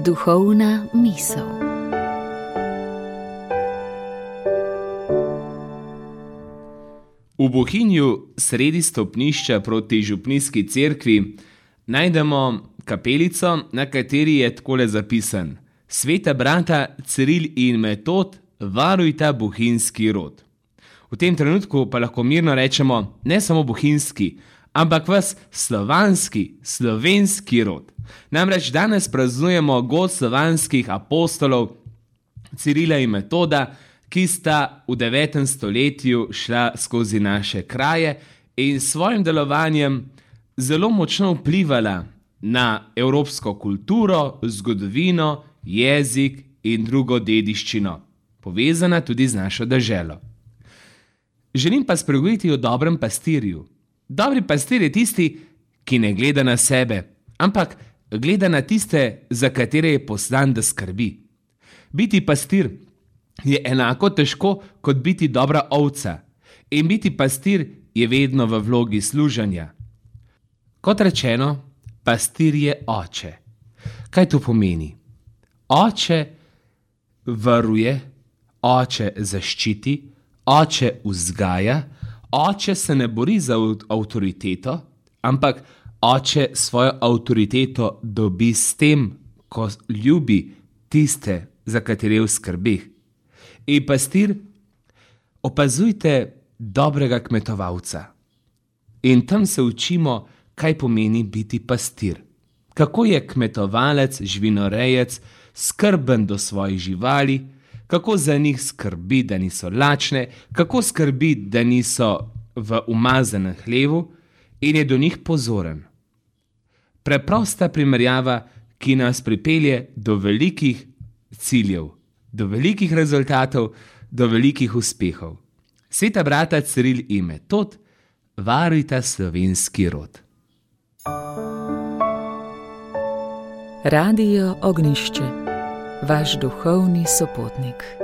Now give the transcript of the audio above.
Duhovna misel. V Bohinju, sredi stopnišča proti župnijski cerkvi, najdemo kapelico, na kateri je takole zapisan: Sveta brata Ciril in Metod, varujta bohinjski rod. V tem trenutku pa lahko mirno rečemo ne samo bohinjski, ampak vas slovanski, slovenski rod. Namreč danes praznujemo god slovanskih apostolov Cirila in Metoda, ki sta v 9. stoletju šla skozi naše kraje in s svojim delovanjem zelo močno vplivala na evropsko kulturo, zgodovino, jezik in drugo dediščino, povezana tudi z našo deželo. Želim pa spregovoriti o dobrem pastirju. Dobri pastir je tisti, ki ne gleda na sebe, ampak gleda na tiste, za katere je poslan, da skrbi. Biti pastir je enako težko, kot biti dobra ovca. In biti pastir je vedno v vlogi služenja. Kot rečeno, pastir je oče. Kaj to pomeni? Oče varuje, oče zaščiti, oče vzgaja, oče se ne bori za avtoriteto, ampak oče svojo avtoriteto dobi s tem, ko ljubi tiste, za katere v skrbeh. In pastir, opazujte dobrega kmetovalca. In tam se učimo, kaj pomeni biti pastir. Kako je kmetovalec, živinorejec skrben do svojih živali, kako za njih skrbi, da niso lačne, kako skrbi, da niso v umazanem hlevu in je do njih pozoren. Preprosta primerjava, ki nas pripelje do velikih ciljev, do velikih rezultatov, do velikih uspehov. Sveta brata Ciril in Metod, varujta slovenski rod. Radio Ognjišče, vaš duhovni sopotnik.